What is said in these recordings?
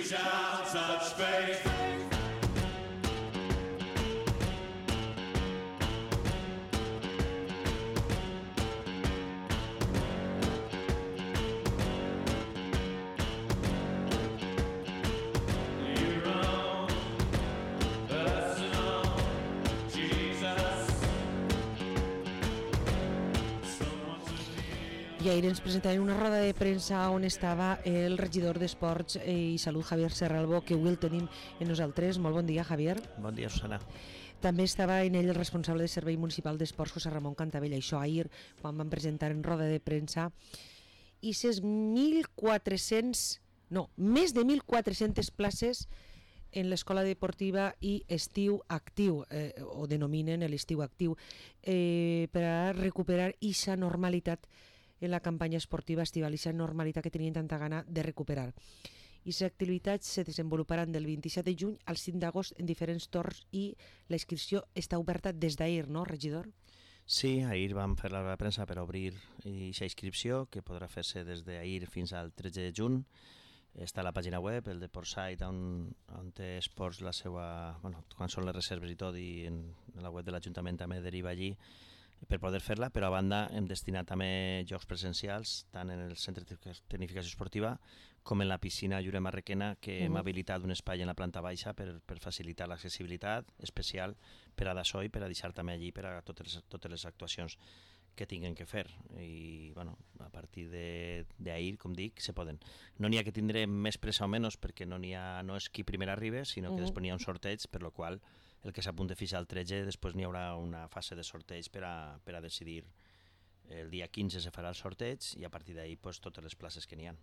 shall touch faith. I ahir ens presentaven una roda de premsa on estava el regidor d'Esports i Salut, Javier Serralbo, que avui el tenim en nosaltres. Molt bon dia, Javier. Bon dia, Susana. També estava en ell el responsable de Servei Municipal d'Esports, José Ramon Cantavella. Això ahir, quan van presentar en roda de premsa, i ses més de 1.400 places en l'escola deportiva i estiu actiu, o denominen l'estiu actiu, per a recuperar aquesta normalitat en la campanya esportiva estival, aquesta normalitat que tenien tanta gana de recuperar. I les activitats se desenvoluparan del 27 de juny al 5 d'agost en diferents torns i la inscripció està oberta des d'ahir, no, regidor? Sí, ahir vam fer la premsa per obrir aquesta inscripció, que podrà fer-se des d'ahir fins al 13 de juny. Està a la pàgina web, el Deportsite, on té esports la seva... Bueno, quan són les reserves i tot, i en la web de l'Ajuntament també deriva allí per poder fer-la, però a banda hem destinat també jocs presencials, tant en el centre de tecnificació esportiva com en la piscina Lloret Marrequena, que hem habilitat un espai en la planta baixa per facilitar l'accessibilitat especial per a d'això i per a deixar també allí per a totes les actuacions que tinguen que fer. I bueno, a partir d'ahir, com dic, se poden. No n'hi ha que tindre més pressa o menys, perquè no és qui primer arriba, sinó que després n'hi ha un sorteig, per lo qual el que s'apunta fins al 13, després n'hi haurà una fase de sorteig per a decidir. El dia 15 se farà el sorteig i a partir d'ahir pues, totes les places que n'hi ha.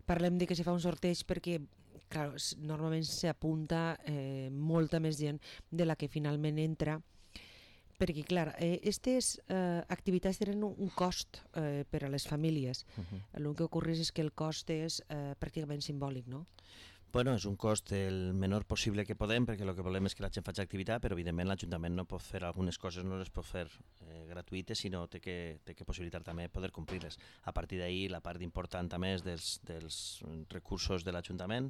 Parlem de que se fa un sorteig perquè clar, normalment s'apunta molta més gent de la que finalment entra, perquè clar, aquestes activitats tenen un cost per a les famílies. El que ocorre és que el cost és pràcticament simbòlic, no? Bueno, és un cost el menor possible que podem, perquè el que volem és que la gent faci activitat, però evidentment l'Ajuntament no pot fer algunes coses, no les pot fer gratuïtes, sinó té que possibilitar també poder complir-les. A partir d'ahir la part important també és dels recursos de l'Ajuntament,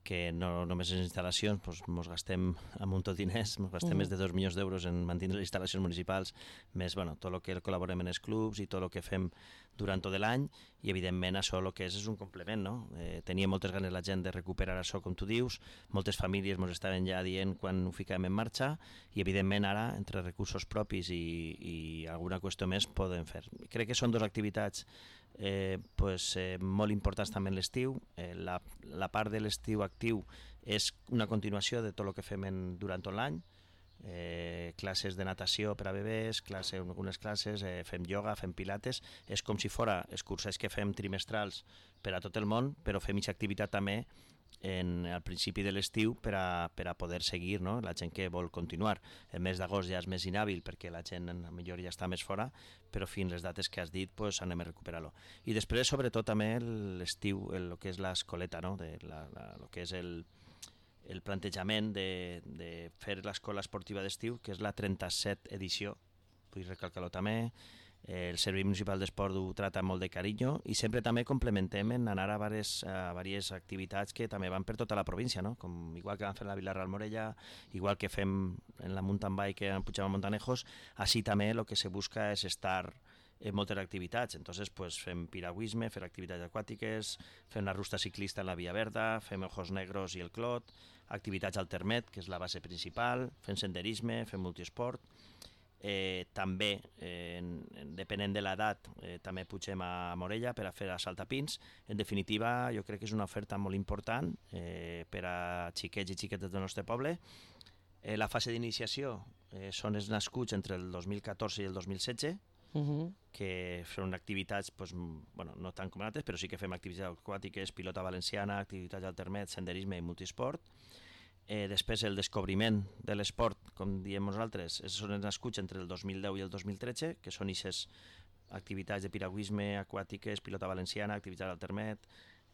que no només en instal·lacions ens gastem un munt de diners, ens gastem més de 2 milions d'euros en mantenir les instal·lacions municipals, més tot el que col·laborem en els clubs i tot el que fem durant tot l'any, i evidentment això el que és un complement, no? Tenia moltes ganes la gent de recuperar això, com tu dius, moltes famílies ens estaven ja dient quan ho ficàvem en marxa, i evidentment ara, entre recursos propis i alguna qüestió més, podem fer. Crec que són dues activitats molt importants també en l'estiu. La part de l'estiu actiu és una continuació de tot el que fem durant tot l'any, classes de natació per a bebès, algunes classes, fem ioga, fem pilates, és com si fora els cursos que fem trimestrals per a tot el món, però fem aquesta activitat també al principi de l'estiu per a poder seguir, no? La gent que vol continuar. El mes d'agost ja és més inhàbil perquè la gent millor ja està més fora, però fins les dates que has dit anem a recuperar-lo. I després sobretot també l'estiu, el que és l'escoleta, no? El que és el plantejament de fer l'escola esportiva d'estiu, que és la 37 edició, vull recalcar-lo també. El Servei Municipal d'Esport ho trata molt de carinyo i sempre també complementem en anar a diverses activitats que també van per tota la província, no? Com igual que vam fer la Vila-real Morella, igual que fem en la mountain bike en Puigdemont Montanejos, així també el que se busca és estar en moltes activitats. Entonces fem piragüisme, fem activitats aquàtiques, fem la ruta ciclista en la Via Verda, fem Ojos Negros i el Clot, activitats al Termet, que és la base principal, fem senderisme, fem multiesport. També, depenent de l'edat, també pugem a Morella per a fer saltapins. En definitiva, jo crec que és una oferta molt important per a xiquets i xiquetes del nostre poble. La fase d'iniciació són els nascuts entre el 2014 i el 2016, que són activitats no tant com altres, però sí que fem activitats aquàtiques, pilota valenciana, activitats al Termet, senderisme i multisport. Després el descobriment de l'esport, com diem nosaltres, són els nascuts entre el 2010 i el 2013, que són aquestes activitats de piragüisme, aquàtiques, pilota valenciana, activitats al Termet,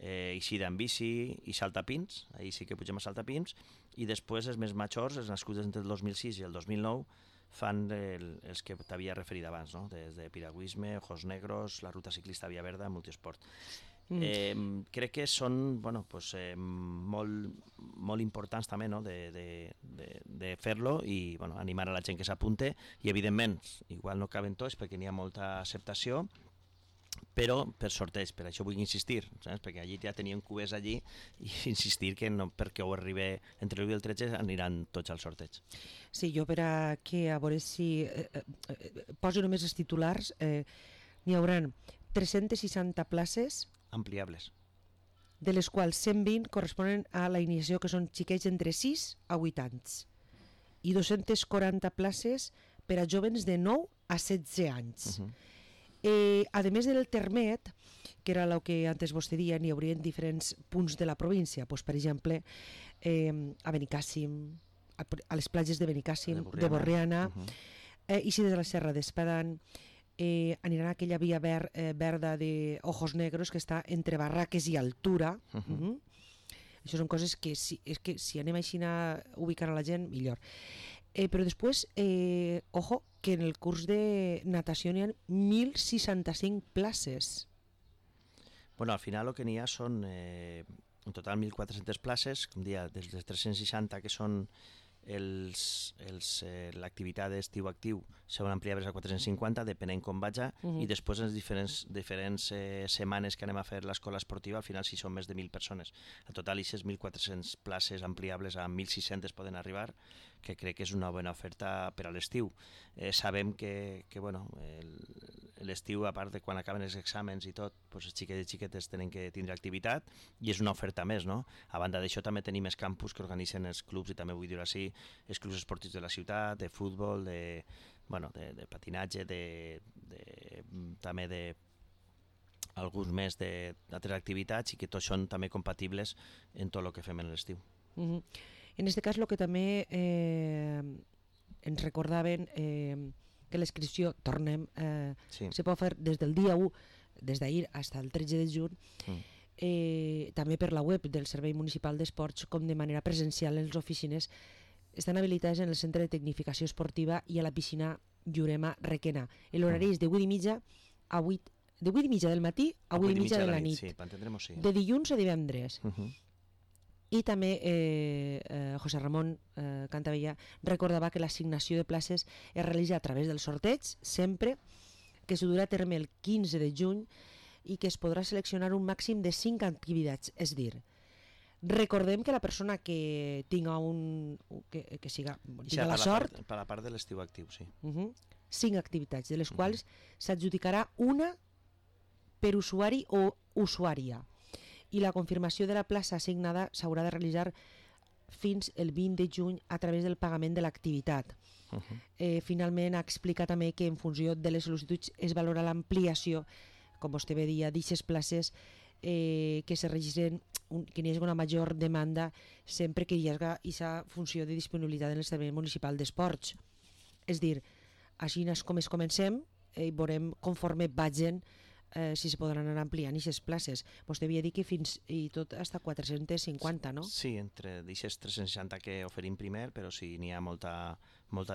eixida en bici i saltapins, ahir sí que pugem a saltapins, i després els més majors, els nascuts entre el 2006 i el 2009, fan els que t'havia referit abans, no? Des de piragüisme, Ojos Negros, la ruta ciclista Via Verda, multiesport. Crec que són molt importants també, no? de fer-lo i animar a la gent que s'apunte i evidentment, igual no caben tots perquè n'hi ha molta acceptació, però per sorteig, per això vull insistir, saps? Perquè allí ja tenien cubers allí i insistir que no, perquè ho arribi entre l'1 i el 13 aniran tots al sorteig. Sí, jo per a veure si poso només els titulars, n'hi haurà 360 places ampliables, de les quals 120 corresponen a la iniciació, que són xiquets d'entre 6 a 8 anys, i 240 places per a jóvens de 9 a 16 anys. A més del Termet, que era el que antes vostè deia, n'hi haurien diferents punts de la província, doncs, per exemple, a Benicàssim, a les platges de Benicàssim, de Borriana, i si des de la Serra d'Espadán, aniran a aquella via verda de Ojos Negros que està entre Barraques i Altura. Això són coses que si anem així a ubicar a la gent, millor. Però després, ojo, que en el curs de natació n'hi ha 1.065 places. Bueno, al final el que n'hi ha són en total 1.400 places, com dia, des de 360 que són l'activitat d'estiu actiu seran ampliables a 450, depenent com vaja, i després en les diferents setmanes que anem a fer l'escola esportiva, al final si són més de 1.000 persones. En total, aquestes 1.400 places ampliables a 1.600 poden arribar, que crec que és una bona oferta per a l'estiu. Sabem que l'estiu, a part de quan acaben els exàmens i tot, els xiquets i xiquetes tenen que tindre activitat i és una oferta més, no? A banda d'això també tenim els campus que organitzen els clubs, i també vull dir així, els clubs esportius de la ciutat, de futbol, de patinatge, també alguns més d'altres activitats, i que tots són també compatibles en tot el que fem en l'estiu. En aquest cas, el que també ens recordaven que l'inscripció, tornem, se pot fer des del dia 1, des d'ahir fins al 13 de juny, també per la web del Servei Municipal d'Esports, com de manera presencial en les oficines. Estan habilitades en el Centre de Tecnificació Esportiva i a la piscina Llurema Requena. L'horari és de 8:30 a 8, de 8:30 del matí a 8:30 de la nit, de dilluns a divendres. I també José Ramón Cantavella recordava que l'assignació de places es realitza a través del sorteig, sempre, que se durà a terme el 15 de juny i que es podrà seleccionar un màxim de 5 activitats. És dir, recordem que la persona que tinga la sort... Per la part de l'estiu actiu, sí. 5 activitats, de les quals s'adjudicarà una per usuari o usuària. I la confirmació de la plaça assignada s'haurà de realitzar fins el 20 de juny a través del pagament de l'activitat. Finalment, ha explicat també que en funció de les sol·licituds es valora l'ampliació, com vostè bé deia, d'aquestes places que se registren, que hi hagi una major demanda sempre que hi hagi aquesta funció de disponibilitat en el Servei Municipal d'Esports. És dir, així com es comencem i veurem conforme vagin si se podran anar ampliant aquestes places. Vostè havia dit que fins i tot fins a 450, no? Sí, entre aquestes 360 que oferim primer, però si n'hi ha molta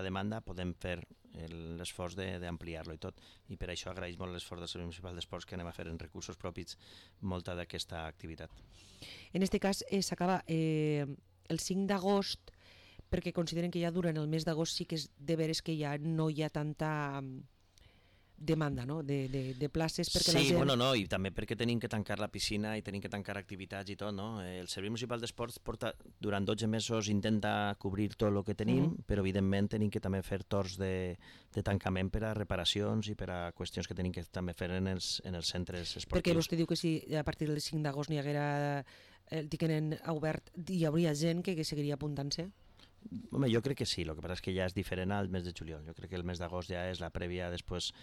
demanda podem fer l'esforç d'ampliar-lo i tot. I per això agraeix molt l'esforç del Servei Municipal d'Esports, que anem a fer en recursos propis molta d'aquesta activitat. En aquest cas s'acaba el 5 d'agost, perquè consideren que ja durant el mes d'agost sí que és de veres que ja no hi ha tanta demanda, no? de places perquè la gent... Sí, i també perquè tenim que tancar la piscina i tenim que tancar activitats i tot, no? El Servei Municipal d'Esports durant 12 mesos intenta cobrir tot el que tenim, però evidentment tenim que també fer torns de tancament per a reparacions i per a qüestions que tenim que també fer en els centres esportius. Perquè vostè diu que si a partir del 5 d'agost n'hi haguera el tiquet obert, hi hauria gent que seguiria apuntant-se? Home, jo crec que sí, el que passa és que ja és diferent al mes de juliol. Jo crec que el mes d'agost ja és la prèvia, després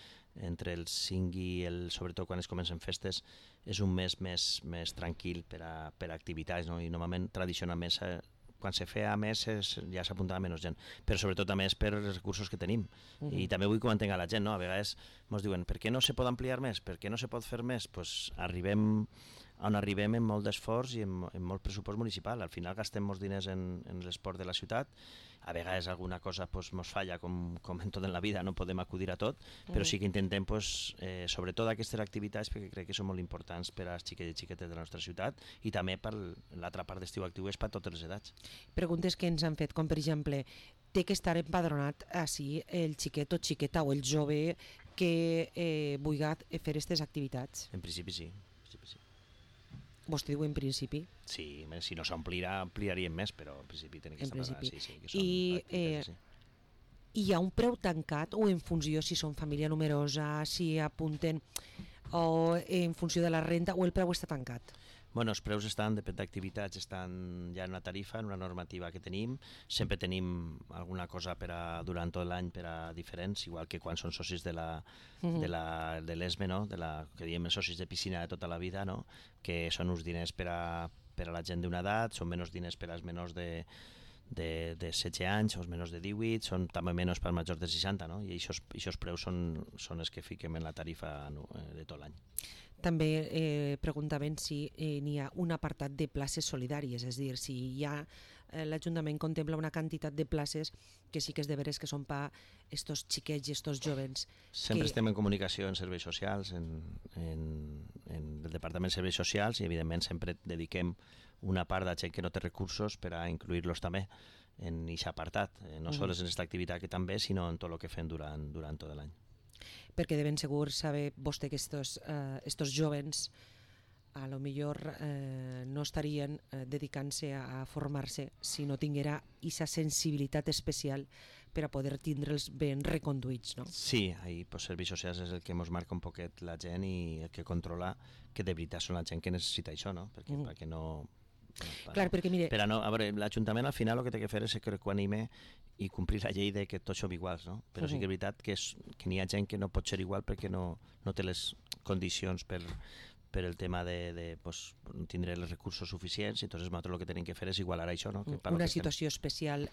entre el 5 i sobretot quan es comencen festes, és un mes més tranquil per a activitats, no? I normalment, tradicionalment, quan se feia més ja s'apuntava menys gent, però sobretot també és per els recursos que tenim. I també vull que ho entenga la gent, no? A vegades ens diuen, per què no se pot ampliar més? Per què no se pot fer més? Pues arribem on arribem amb molt d'esforç i amb molt pressupost municipal. Al final gastem molts diners en l'esport de la ciutat. A vegades alguna cosa mos falla, com en tot en la vida, no podem acudir a tot, però sí que intentem, sobretot aquestes activitats, perquè crec que són molt importants per als xiquets i xiquetes de la nostra ciutat, i també per l'altra part d'estiu actiu és per a totes les edats. Preguntes que ens han fet, com per exemple, té que estar empadronat així el xiquet o xiqueta o el jove que vulgui fer aquestes activitats? En principi sí. Vostè diu en principi? Sí, si no s'omplirà, ampliaríem més, però en principi tenen que estar preparats. I hi ha un preu tancat o en funció si són família numerosa, si apunten o en funció de la renta, o el preu està tancat? Bueno, els preus depèn d'activitats, estan ja en una tarifa, en una normativa que tenim. Sempre tenim alguna cosa durant tot l'any per a diferents, igual que quan són socis de l'ESME, no? Que diem els socis de piscina de tota la vida, no? Que són uns diners per a la gent d'una edat, són menys diners per als menors de 16 anys o els menors de 18, són també menys per als majors de 60, no? I aquests preus són els que fiquem en la tarifa de tot l'any. També preguntaven si n'hi ha un apartat de places solidàries, és a dir, si l'Ajuntament contempla una quantitat de places que sí que és de veres que són per estos xiquets i estos jovens. Sempre estem en comunicació en serveis socials, en el Departament de Serveis Socials, i evidentment sempre dediquem una part de gent que no té recursos per a incluir-los també en aquest apartat, no només en aquesta activitat que també, sinó en tot el que fem durant tot l'any. Perquè de ben segur sabe vostè que estos jovens a lo millor no estarien dedicant-se a formar-se si no tinguera aquesta sensibilitat especial per a poder tindre'ls ben reconduïts, no? Sí, ahir serveis socials és el que ens marca un poquet la gent i el que controla que de veritat són la gent que necessita això, no? Perquè no... Clar, perquè mire... Però no, a veure, l'Ajuntament al final el que té que fer és equanime i complir la llei de que tots som iguals, no? Però sí que és veritat que n'hi ha gent que no pot ser igual perquè no té les condicions per el tema de no tindre els recursos suficients, i entonces nosaltres el que tenim que fer és igualar això, no? Una situació especial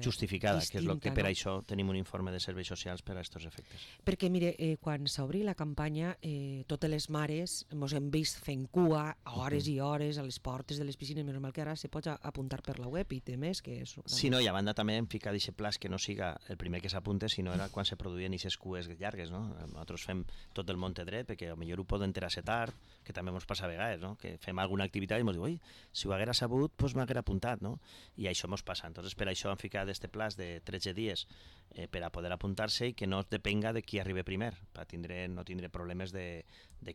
justificada, distinta, que és el que per no? això tenim un informe de serveis socials per a aquests efectes. Perquè mire, quan s'obri la campanya, totes les mares ens hem vist fent cua hores i hores a les portes de les piscines, menys mal que ara se pot apuntar per la web i té més que és... Sí, no, i a banda també hem ficat aquest pla que no siga el primer que s'apunte, sinó era quan se produïen aquestes cues llargues, no? Nosaltres fem tot el Monte Dret, perquè potser ho poden enterar-se tard, que també ens passa a vegades, no? Que fem alguna activitat i ens diu, oi, si ho haguera sabut, doncs m'haguera apuntat, no? I això ens passa. Entonces, per això hem ficat este plaç de 13 dies per a poder apuntar-se i que no depenga de qui arribi primer, per no tindre problemes de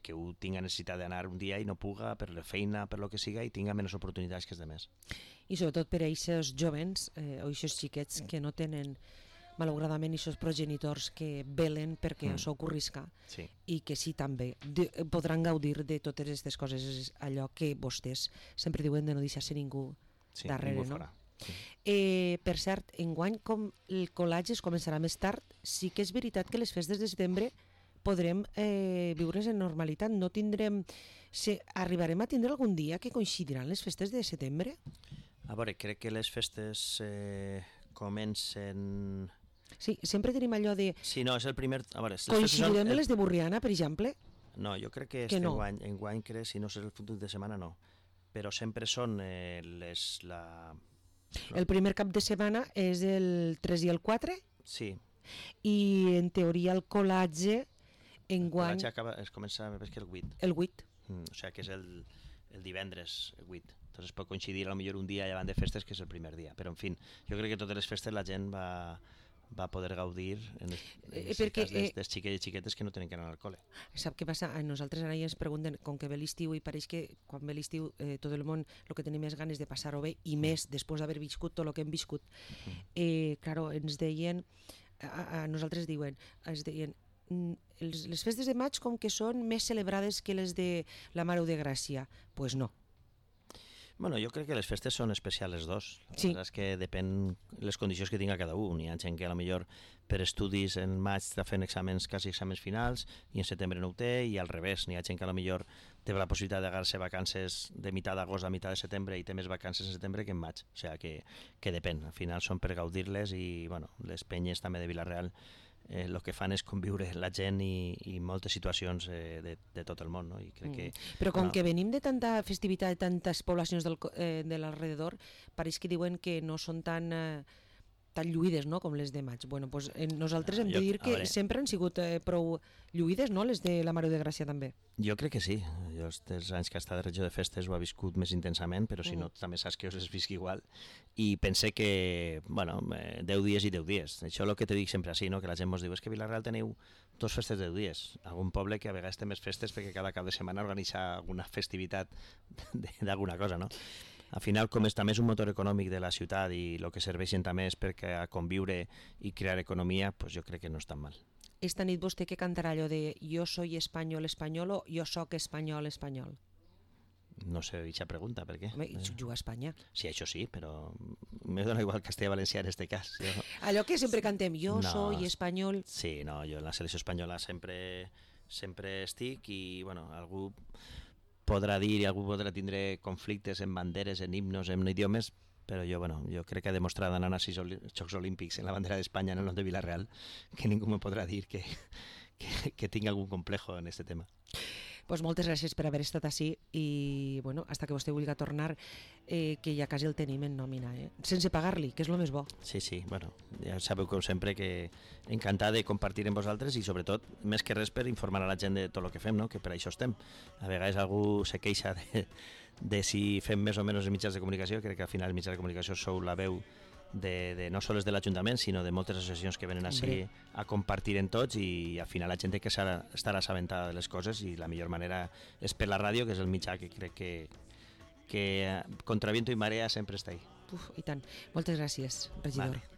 que un tinga necessitat d'anar un dia i no puga per la feina, per lo que siga, i tinga menys oportunitats que els demés. I sobretot per a aquests jovens o aquests xiquets que no tenen malauradament aquests progenitors que velen perquè això ocorrisca, sí. I que sí també podran gaudir de totes aquestes coses, és allò que vostès sempre diuen de no deixar-se ningú darrere, ningú no? fora. Sí. Per cert, enguany com el col·legi es començarà més tard, sí que és veritat que les festes de setembre podrem viure's en normalitat, no tindrem... Arribarem a tindre algun dia que coincidiran les festes de setembre? A veure, crec que les festes comencen... Sí, sempre tenim allò de... Sí, no, és el primer... A veure, coincidirem les de Borriana, per exemple? No, jo crec que no. enguany crec, si no és el futur de setmana, no. Però sempre són El primer cap de setmana és el 3 i el 4? Sí. I en teoria el col·latge enguany... El col·latge es comença, més que el 8. El 8. O sigui que és el divendres 8. Entonces pot coincidir a lo millor un dia llevant de festes, que és el primer dia. Però, en fi, jo crec que totes les festes la gent va poder gaudir en el cas dels xiquets i xiquetes que no tenen que anar al col·le. Sap què passa? A nosaltres ara ja ens pregunten, com que ve l'estiu, i pareix que quan ve l'estiu tot el món el que tenim és ganes de passar-ho bé, i més després d'haver viscut tot el que hem viscut. Claro, ens deien, a nosaltres ens deien, les festes de maig com que són més celebrades que les de la Mare de Gràcia. Pues no. Bueno, jo crec que les festes són especials les dos. Sí. És que depèn les condicions que tinga cada un. Hi ha gent que a lo millor per estudis en maig està fent quasi exàmens finals i en setembre no ho té, i al revés. Hi ha gent que a lo millor té la possibilitat d'agarrar-se vacances de meitat d'agost a meitat de setembre i té més vacances en setembre que en maig. O sigui que depèn. Al final són per gaudir-les, i bueno, les penyes també de Vila-real el que fan és conviure la gent i moltes situacions de tot el món, no? I crec que, però com que venim de tanta festivitat, de tantes poblacions de l'alrededor, pareix que diuen que no són tan lluïdes, no?, com les de maig. Bueno, pues, nosaltres hem de dir que sempre han sigut prou lluïdes, no?, les de la Mare de Gràcia també. Jo crec que sí. Jo els anys que he estat de regió de festes ho he viscut més intensament, però si no també saps que us es visc igual. I pense que, bueno, 10 dies i 10 dies. Això és el que te dic sempre així, no?, que la gent ens diu és que a Vila-real teniu 2 festes de 10 dies. Algun poble que a vegades té més festes perquè cada cap de setmana organitza alguna festivitat d'alguna cosa, no? Al final, com també és un motor econòmic de la ciutat i el que serveixen també és perquè a conviure i crear economia, pues jo crec que no és tan mal. Esta nit vostè que cantarà allò de jo soy espanyol espanyol o jo soc espanyol espanyol? No sé, dicha pregunta, per què? Home, juga a Espanya. Sí, això sí, però me dona igual castellà-valencià en este cas. Allò que sempre cantem, jo soy espanyol... Sí, no, jo en la selecció espanyola sempre estic i, bueno, algú podrà dir i algú podrà tindre conflictes en banderes, en himnos, en idiomes, però jo crec que ha demostrat anant a 6 Jocs Olímpics en la bandera d'Espanya en el nom de Vila-real que ningú me podrà dir que tinc algun complejo en aquest tema. Pues moltes gràcies per haver estat així i, bueno, hasta que vostè vulgui tornar, que ja quasi el tenim en nòmina, sense pagar-li, que és el més bo. Sí, bueno, ja sabeu com sempre que encantat de compartir amb vosaltres i sobretot, més que res, per informar a la gent de tot el que fem, no?, que per això estem. A vegades algú se queixa de si fem més o menys els mitjans de comunicació. Crec que al final els mitjans de comunicació sou la veu de no sols de l'Ajuntament, sinó de moltes associacions que venen així a compartir en tots i al final la gent té que estar assabentada de les coses i la millor manera és per la ràdio, que és el mitjà que crec que contra viento i marea sempre està ahí. I tant. Moltes gràcies, regidor. Vale.